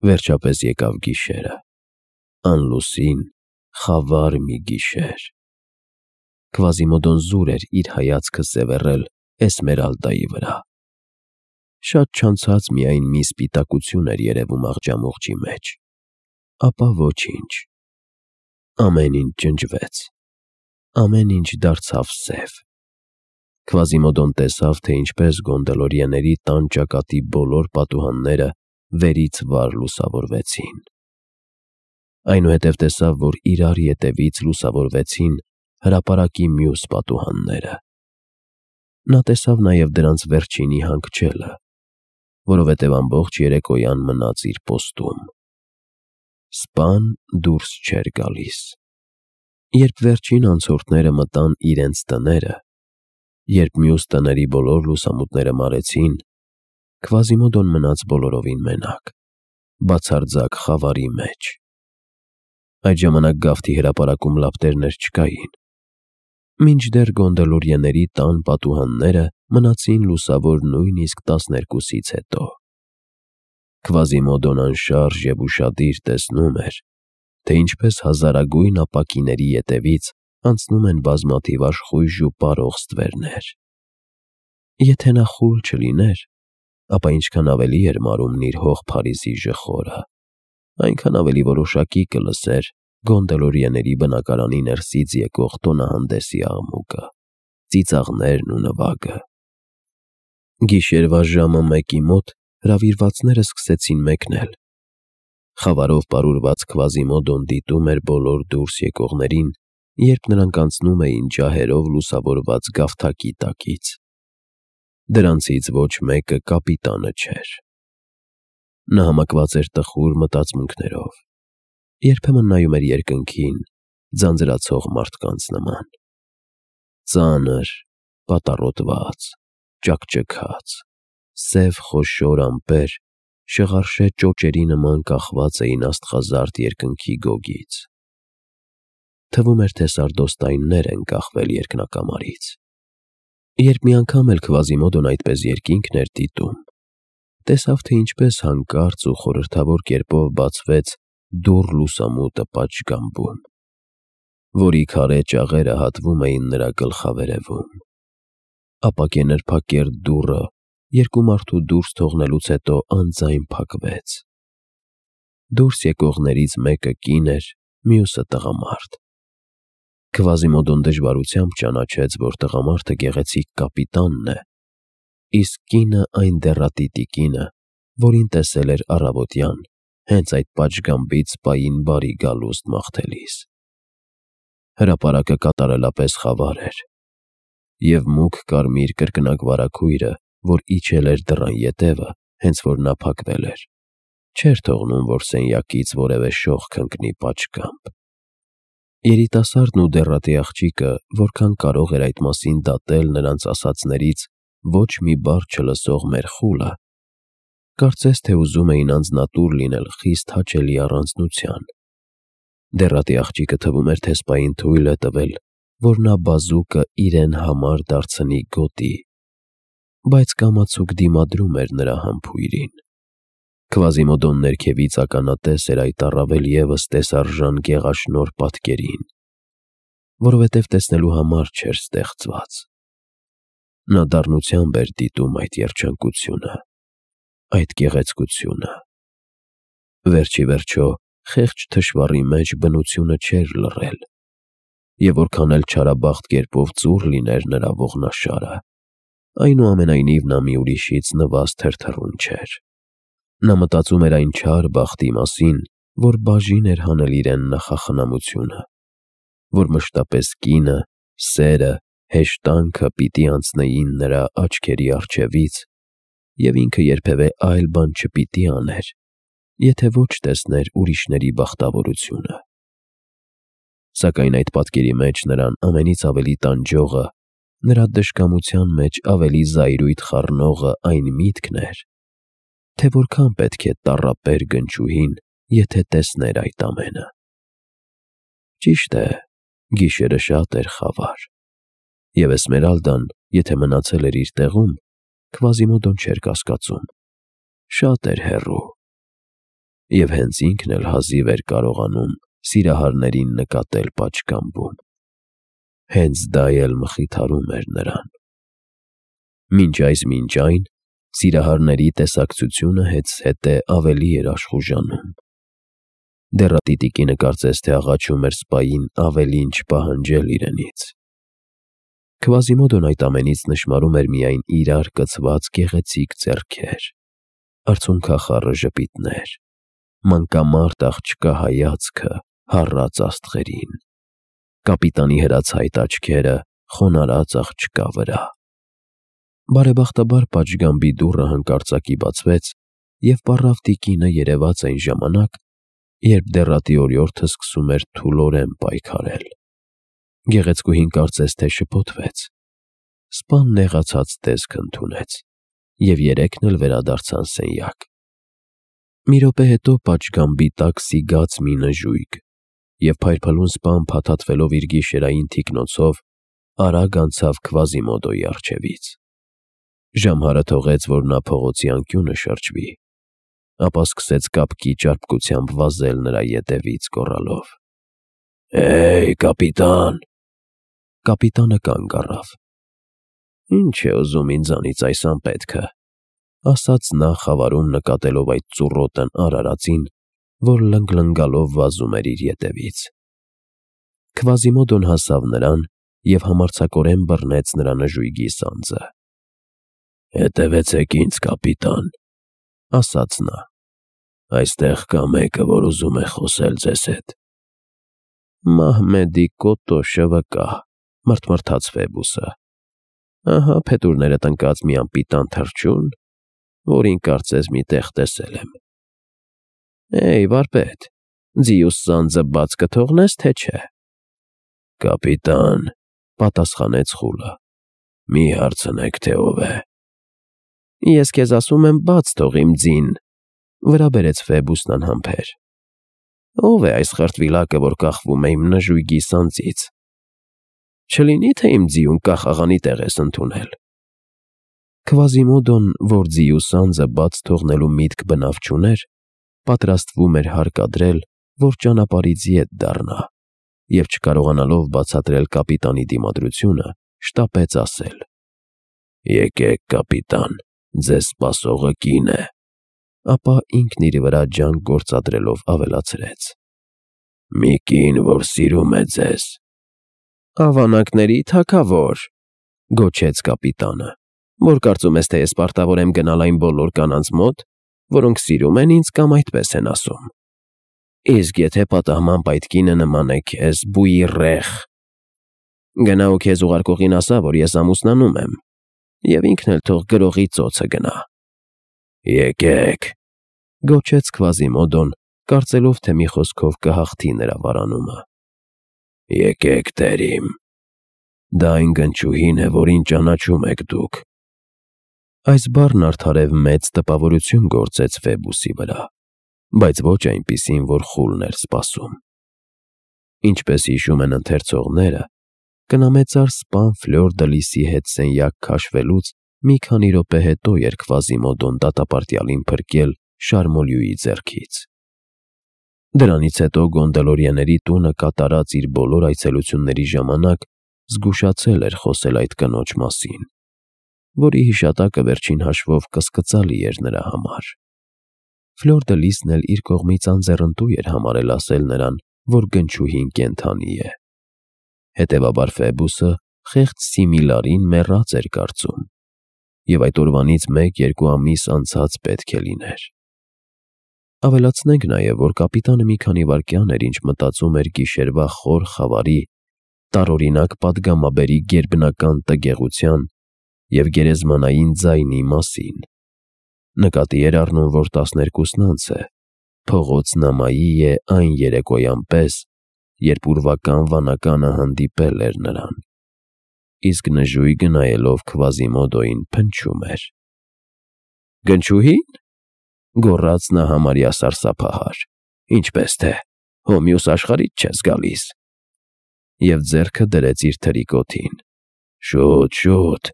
Վերջապես եկավ գիշերը, անլուսին, խավար մի գիշեր։ Քվազիմոդոն զուր էր իր հայացքը սևեռել Էսմերալդայի վրա։ Շատ չանցած միայն մի սպիտակություն էր երևում աղջամուղջի մեջ, ապա ոչինչ։ Ամեն ինչ ջնջվեց, ամեն ինչ դարձավ սև։ Քվազիմոդոն տեսավ, թե ինչպես գոնդոլորիեների տան ճակատի բոլոր պատուհանները վերից վար լուսավորվեցին։ Այնուհետև տեսավ, որ իրար ետևից լուսավորվեցին հրապարակի մյուս պատուհանները։ Նա տեսավ նաև դրանց վերջինի հանգչելը, որովհետև ամբողջ երեկոյան մնաց իր պոստում։ Սպան դուրս չէր գալիս։ Երբ վերջին անցորդները մտան իրենց տները, երբ մյուս տների բոլոր լուսամուտները մարեցին, Քվազիմոդոն մնաց բոլորովին մենակ, բացարձակ խավարի մեջ։ Այդ ժամանակ գավթի հրապարակում լապտերներ չկային, մինչդեռ գոնդոլորիեների տան պատուհանները մնացին լուսավոր նույնիսկ 12-ից հետո։ Քվազիմոդոն անշարժ և ուշադիր տեսնում էր, թե ինչպես հազարագույն ապակիների ետևից անցնում են բազմաթիվ աշխույժ ու պարող ստվերներ։ Եթե նա խուլ չլիներ, ապա ինչքան ավելի էր մարումն իր հող Փարիզի ժխորը, այնքան ավելի որոշակի կլսեր գոնդոլորիեների բնակարանի ներսից եկող տոնահանդեսի աղմուկը, ծիծաղներն ու նվագը։ Գիշերվա ժամը 1-ի մոտ հրավիրվածները սկսեցին մեկնել։ Խավարով պարուրված Քվազիմոդոն դիտում էր բոլոր դուրս եկողներին, երբ նրանք անցնում էին ջահերով լուսավորված գավթակի տակից։ Դրանցից ոչ մեկը կապիտանը չէր։ Նա համակված էր տխուր մտածմունքներով, երբեմն նայում էր երկնքին, ձանձրացող մարդկանց նման։ Ծանր, պատառոտված, ճաքճքած, սև խոշոր ամպեր շղարշե ճոճերի նման կախված էին աստղազարդ երկնքի գոգից։ Թվում էր, թե սարդոստայններ են կախվել երկնակամարից։ Երբ մի անգամ էլ Քվազիմոդոն այդպես երկինքն էր դիտում, տեսավ, թե ինչպես հանկարծ ու խորհրդավոր կերպով բացվեց դուռ լուսամուտը պատշգամբում, որի քարե ճաղերը հատվում էին նրա գլխավերևում։ Ապա կենրփակերտ դուռը երկու մարդու դուրս թողնելուց հետո անձայն փակվեց։ Դուրս եկողներից մեկը կին էր, մյուսը տղամարդ։ Քվազիմոդոն դժվարությամբ ճանաչեց, որ տղամարդը գեղեցիկ կապիտանն է, իսկ կինը այն դեռատի տիկինը, որին տեսել էր առավոտյան, հենց այդ պատշգամբից պային բարի գալուստ մաղթելիս։ Հրապարակը կատարելապես խավար էր, և մուգ կարմիր կրկնակ վարագույրը, որ իջել էր դռան ետևը, հենց որ նա փակվել էր, չէր թողնում, որ սենյակից որևէ շողք ընկնի պատշգամբ։ Երիտասարդն ու դեռատի աղջիկը որքան կարող էր այդ մասին դատել նրանց ասածներից ոչ մի բառ չլսող մերխուլը, կարծես թե ուզում էին անձնատուր լինել խիստ հաճելի առանձնության։ Դեռատի աղջիկը թվում էր, թե սպային թույլ է տվել, որ նա բազուկը իրեն համար դարձնի գոտի, բայց կամացուկ դիմադրում էր նրա համբույրին։ Քվազիմոդոն ներքևից ականատես էր այդ առավել ևս տեսարժան գեղաշնորհ պատկերին, որովհետև տեսնելու համար չէր ստեղծված։ Նա դառնությամբ էր դիտում այդ երջանկությունը, այդ գեղեցկությունը։ Վերջ ի վերջո խեղճ թշվառի մեջ բնությունը չէր լռել, և որքան էլ չարաբախտ կերպով ծուռ լիներ նրա ողնաշարը, այնուամենայնիվ նա մի ուրիշից նվազ թրթռուն չէր։ Նա մտածում էր այն չար բախտի մասին, որ բաժին էր հանել իրեն նախախնամությունը, որ մշտապես կինը, սերը, հեշտանքը պիտի անցնեին նրա աչքերի առջևից, և ինքը երբևէ այլ բան չպիտի աներ, եթե ոչ տեսներ ուրիշների բախտավորությունը։ Սակայն այդ պատկերի մեջ նրան ամենից ավելի տանջողը, նրա դժկամության մեջ ավելի զայրույթ խառնողը այն միտքն էր, թե որքան պետք է տառապեր գնչուհին, եթե տեսներ այդ ամենը։ Ճիշտ է, գիշերը շատ էր խավար, և Էսմերալդան, եթե մնացել էր իր տեղում, Քվազիմոդոն չէր կասկածում, շատ էր հեռու։ և հենց ինքն էլ հազիվ էր կարողանում սիրահարներին նկատել պատշգամբում։ Հենց դա էլ մխիթարում էր նրան։ Մինչ այն սիրահարների տեսակցությունը հետզհետե ավելի էր աշխուժանում։ Դեռատիտիկինը կարծես թե աղաչում էր սպային ավելին չպահանջել իրենից։ Քվազիմոդոն այդ ամենից նշմարում էր միայն իրար կցված գեղեցիկ ձեռքեր, արցունքախառը ժպիտներ, մանկամարտ աղջկա հայացքը հառած աստղերին, կապիտանի հրացայտ աչքերը խոնարհած աղջկա վրա։ Բարեբախտաբար պատշգամբի դուռը հանկարծակի բացվեց, և պառավ տիկինը երևաց այն ժամանակ, երբ դեռատի օրիորդը սկսում էր թուլորեն պայքարել։ Գեղեցկուհին կարծես թե շփոթվեց։ Սպան նեղացած տեսք ընդունեց, և երեքն էլ վերադարձան սենյակ։ Մի րոպե հետո պատշգամբի տակ սիգաց մի նժույգ, և փայլփլուն սպան փաթաթվելով իր գիշերային թիկնոցով արագ անցավ Քվազիմոդոյի առջևից։ Ժամհարը թողեց, որ նա փողոցի անկյունը շրջվի, ապա սկսեց կապկի ճարպկությամբ վազել նրա ետևից, գոռալով. «Հեյ, կապիտան»։ Կապիտանը կանգ առավ։ «Ինչ է ուզում ինձանից այս անպետքը», ասաց նա, խավարում նկատելով այդ ծուռոտն արարածին, որ լնգլնգալով վազում էր իր ետևից։ Քվազիմոդոն հասավ նրան և համարձակորեն բռնեց նրա նժույգի սանձը։ «Հետևեցեք ինձ, կապիտան», ասաց նա։ «Այստեղ կա մեկը, որ ուզում է խոսել ձեզ հետ»։ «Մահմեդի կոտոշը վկա», մռթմռթաց Ֆեբուսը։ «Ահա փետուրներդ ընկած մի անպիտան թռչուն, որին կարծես մի տեղ տեսել եմ։ Հեյ, վարպետ, ձիուս սանձը բաց կթողնես, թե չէ»։ «Կապիտան», պատասխանեց խուլը, «մի հարցնեք, թե ով է»։ «Ես քեզ ասում եմ, բաց թող իմ ձին», վրա բերեց Ֆեբուսն անհամբեր։ «Ով է այս խրտվիլակը, որ կախվում է իմ նժույգի սանձից։ Չլինի՞ թե իմ ձիուն կախաղանի տեղ ես ընդունել»։ Քվազիմոդոն, որ ձիու սանձը բաց թողնելու միտք բնավ չուներ, պատրաստվում էր հարկադրել, որ ճանապարհից ետ դառնա, և չկարողանալով բացատրել կապիտանի դիմադրությունը, շտապեց ասել. «Եկեք, կապիտան, ձեզ սպասողը կին է», ապա ինքն իր վրա ջանք գործադրելով ավելացրեց. «Մի կին, որ սիրում է ձեզ»։ «Ավանակների թագավոր», գոչեց կապիտանը, «որ կարծում ես, թե ես պարտավոր եմ գնալ այն բոլոր կանանց մոտ, որոնք սիրում են ինձ կամ այդպես են ասում։ Իսկ եթե պատահմամբ այդ կինը նման է քեզ, բույռեղ, գնա ու քեզ ուղարկողին ասա, որ ես ամուսնանում եմ, և ինքն էլ թող գրողի ծոցը գնա»։ «Եկեք», գոչեց Քվազիմոդոն, կարծելով, թե մի խոսքով կհաղթի նրա վարանումը։ «Եկեք, տեր իմ, դա այն գնչուհին է, որին ճանաչում եք դուք»։ Այս բառն արդարև մեծ տպավորություն գործեց Ֆեբուսի վրա, բայց ոչ այնպիսին, որ խուլն էր սպասում։ Ինչպես հիշում են ընթերցողները, կնամեծար սպան Ֆլյոր դը Լիսի հետ սենյակ քաշվելուց մի քանի րոպե հետո էր Քվազիմոդոն դատապարտյալին փրկել Շարմոլյուի ձեռքից։ Դրանից հետո Գոնդոլորիաների տունը կատարած իր բոլոր այցելությունների ժամանակ զգուշացել էր խոսել այդ կնոջ մասին, որի հիշատակը վերջին հաշվով կսկծալի էր նրա համար։ Ֆլյոր դը Լիսն էլ իր կողմից անձեռնտու էր համարել ասել նրան, որ գնչուհին կենդանի է։ Հետևաբար Ֆեբուսը խեղճ Սիմիլարին մեռած էր կարծում, և այդ օրվանից 1-2 ամիս անցած պետք է լիներ։ Ավելացնենք նաև, որ կապիտանը մի քանի վայրկյան էր, ինչ մտածում էր գիշերվա խոր խավարի, տարօրինակ պատգամաբերի գերբնական տգեղության և գերեզմանային ձայնի մասին։ Նկատի էր առնում, որ 12-ն անց է, փողոց Նամայի է այն երեկոյան պես, երբ ուրվական վանականը հանդիպել էր նրան, իսկ նժույգը նայելով Քվազիմոդոյին փնչում էր։ «Գնչուհի՞ն», գոռաց նա համարյա սարսափահար, «ինչպես թե, հո մյուս աշխարհից չես գալիս»։ Եվ ձեռքը դրեց իր թրիկոթին։ «Շուտ, շուտ»,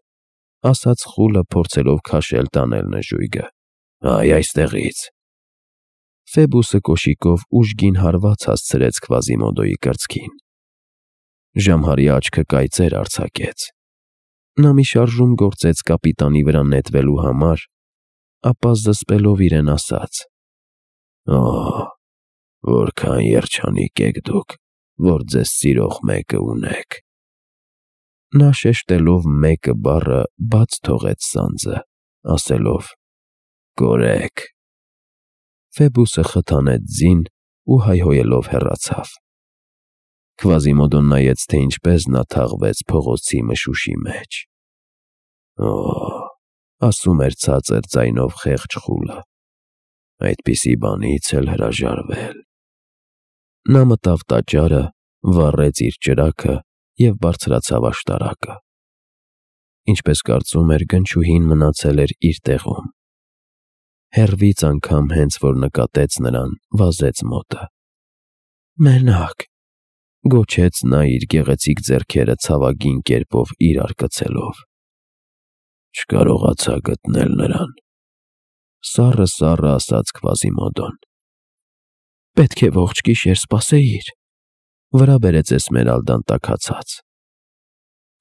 ասաց խուլը, փորձելով քաշել տանել նժույգը։ «Այ այստեղից»։ Ֆեբուսը կոշիկով ուժգին հարված հասցրեց Քվազիմոդոյի կրծքին։ Ժամհարի աչքը կայծեր արձակեց։ Նա մի շարժում գործեց կապիտանի վրա նետվելու համար, ապա զսպելով իրեն ասաց. «Օ՜, որքան երջանիկ եք դուք, որ ձեզ սիրող մեկը ունեք»։ Նա շեշտելով «մեկը» բառը բաց թողեց սանձը, ասելով. «Կորեք»։ Ֆեբուսը խթանեց ձին ու հայհոյելով հեռացավ։ Քվազիմոդոն նայեց, թե ինչպես նա թաղվեց փողոցի մշուշի մեջ։ «Օ՜, ասում էր ցածր ձայնով խեղճ խուլը, այդպիսի բանից էլ հրաժարվել»։ Նա մտավ տաճարը, վառեց իր ճրագը և բարձրացավ աշտարակը։ Ինչպես կարծում էր, գնչուհին մնացել էր իր տեղում։ Հեռվից անգամ հենց որ նկատեց նրան, վազեց մոտը։ «Մենակ», գոչեց նա իր գեղեցիկ ձեռքերը ցավագին կերպով իրար կցելով։ «Չկարողացա գտնել նրան», սառը ասաց Քվազիմոդոն։ «Պետք է ողջ գիշեր սպասեիր», վրա բերեց Էսմերալդան տաքացած։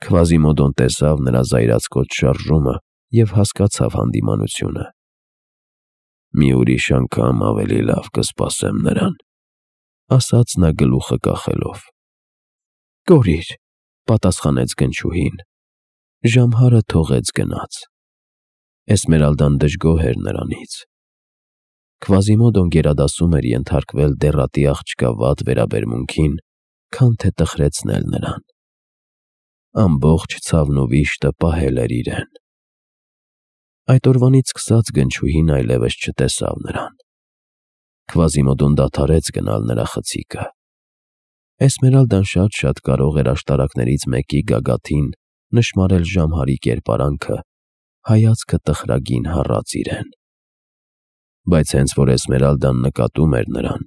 Քվազիմոդոն տեսավ նրա զայրացկոտ շարժումը և հասկացավ հանդիմանությունը։ «Մի ուրիշ անգամ ավելի լավ կսպասեմ նրան», ասաց նա գլուխը կախելով։ «Կորիր», պատասխանեց գնչուհին։ Ժամհարը թողեց գնաց։ Էսմերալդան դժգոհ էր նրանից։ Քվազիմոդոն գերադասում էր ենթարկվել դեռատի աղջկա վատ վերաբերմունքին, քան թե տխրեցնել նրան։ Ամբողջ ցավն ու վիշտը պահել էր իրեն։ Այդ օրվանից սկսած գնչուհին այլևս չտեսավ նրան։ Քվազիմոդոն դադարեց գնալ նրա խցիկը։ Էսմերալդան շատ կարող էր աշտարակներից մեկի գագաթին նշմարել Ժամհարի կերպարանքը, հայացքը տխրագին հառած իրեն։ Բայց հենց որ Էսմերալդան նկատում էր նրան,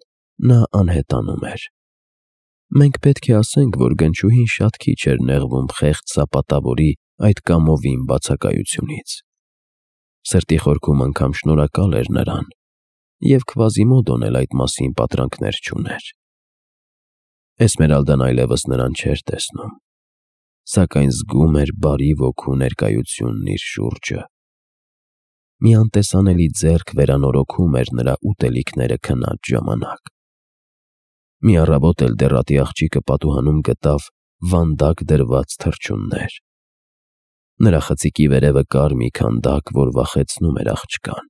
նա անհետանում էր։ Մենք պետք է ասենք, որ գնչուհին շատ քիչ էր նեղվում խեղճ սապատավորի այդ կամովին բացակայությունից։ Սրտի խորքում անգամ շնորհակալ էր նրան, և Քվազիմոդոն էլ այդ մասին պատրանքներ չուներ։ Էսմերալդան այլևս նրան չէր տեսնում, սակայն զգում էր բարի ոգու ներկայությունն իր շուրջը։ Մի անտեսանելի ձեռք վերանորոգում էր նրա ուտելիքները քնած ժամանակ։ Մի առավոտ էլ դեռատի աղջիկը պատուհանում գտավ վանդակ դրված թռչուններ։ Նրա խցիկի վերևը կար մի քանդակ, որ վախեցնում էր աղջկան,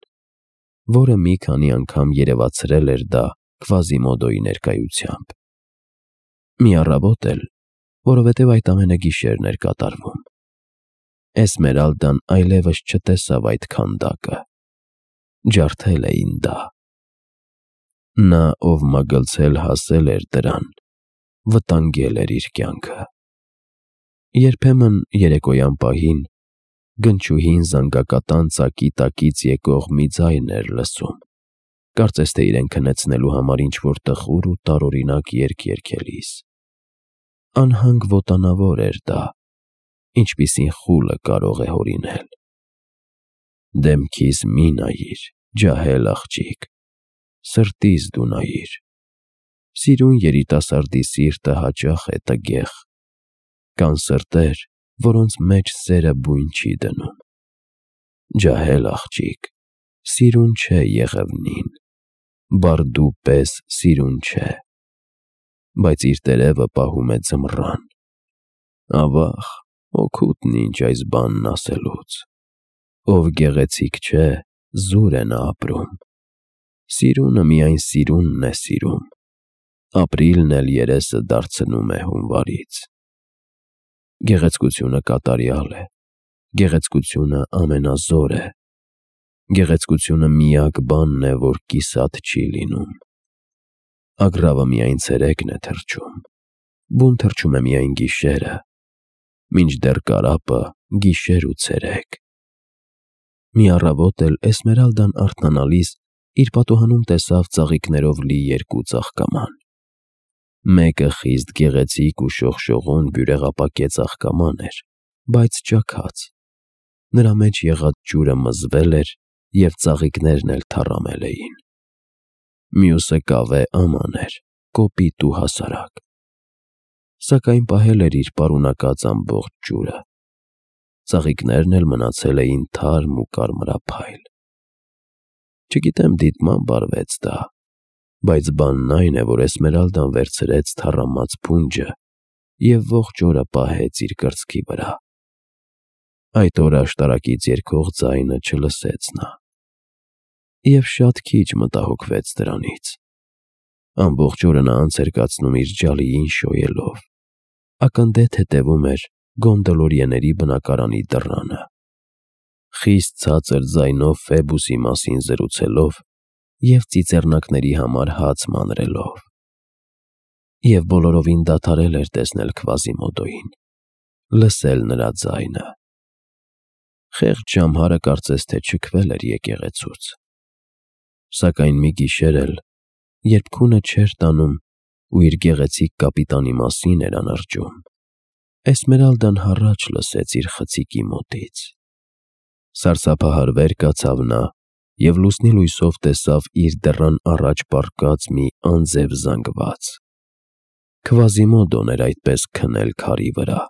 որը մի քանի անգամ երևացրել էր դա Քվազիմոդոյի ներկայությամբ։ Մի առավոտ էլ, որովհետև այդ ամենը գիշերն էր կատարվում, Էսմերալդան այլևս չտեսավ այդ քանդակը։ Ջարդել էին դա։ Նա, ով մագլցել հասել էր դրան, վտանգել էր իր կյանքը։ Երբեմն երեկոյան պահին գնչուհին զանգակատան ծակի տակից եկող մի ձայն էր լսում, կարծես թե իրեն քնեցնելու համար ինչ-որ տխուր ու տարօրինակ երգ երգելիս։ Անհանգ ոտանավոր էր դա, ինչպիսին խուլը կարող է հորինել։ Դեմքիս մի նայիր, ջահել աղջիկ, սրտիս դու նայիր։ Սիրուն երիտասարդի սիրտը հաճախ է տգեղ։ Կան սրտեր, որոնց մեջ սերը բույն չի դնում։ Ջահել աղջիկ, սիրուն չէ եղևնին, բարդու պես սիրուն չէ, բայց իր տերևը պահում է ձմռան։ Ավաղ, օգուտն ինչ այս բանն ասելուց։ Ով գեղեցիկ չէ, զուր է նա ապրում։ Սիրունը միայն սիրունն է սիրում, ապրիլն էլ երեսը դարձնում է հունվարից։ Գեղեցկությունը կատարյալ է, գեղեցկությունը ամենազոր է, գեղեցկությունը միակ բանն է, որ կիսատ չի լինում։ Ագռավը միայն ցերեկն է թռչում, բուն թռչում է միայն գիշերը, մինչդեռ կարապը գիշեր ու ցերեկ։ Մի առավոտ էլ Էսմերալդան արթնանալիս իր պատուհանում տեսավ ծաղիկներով լի երկու ծաղկաման։ Մեկը խիստ գեղեցիկ ու շողշողուն բյուրեղապակե ծաղկաման էր, բայց ճաքած։ Նրա մեջ եղած ջուրը մզվել էր և ծաղիկներն էլ թառամել էին։ մյուսը կավե աման էր, կոպիտ ու հասարակ, սակայն պահել էր իր պարունակած ամբողջ ջուրը, ծաղիկներն էլ մնացել էին թարմ ու կարմրափայլ։ Չգիտեմ դիտմամբ արվեց դա, բայց բանն այն է, որ Էսմերալդան վերցրեց թառամած փունջը և ողջ օրը պահեց իր կրծքի վրա։ Այդ օրը աշտարակից երգող ձայնը չլսեց նա, և շատ քիչ մտահոգվեց դրանից։ Ամբողջ օրը նա անց էր կացնում իր ջալիին շոյելով, ակնթեթ հետևում էր գոնդոլորիեների բնակարանի դռանը, խիստ ցածր ձայնով Ֆեբուսի մասին զրուցելով և ծիծեռնակների համար հաց մանրելով։ Եվ բոլորովին դադարել էր տեսնել Քվազիմոդոյին, լսել նրա ձայնը։ Խեղճ ժամհարը կարծես թե չքվել էր եկեղեցուց։ Սակայն մի գիշեր էլ, երբ քունը չէր տանում ու իր գեղեցիկ կապիտանի մասին էր անրջում, Էսմերալդան հառաչ լսեց իր խցիկի մոտից։ Սարսափահար վեր կացավ նա և լուսնի լույսով տեսավ իր դռան առաջ պառկած մի անձև զանգված։ Քվազիմոդոն էր այդպես քնել քարի վրա։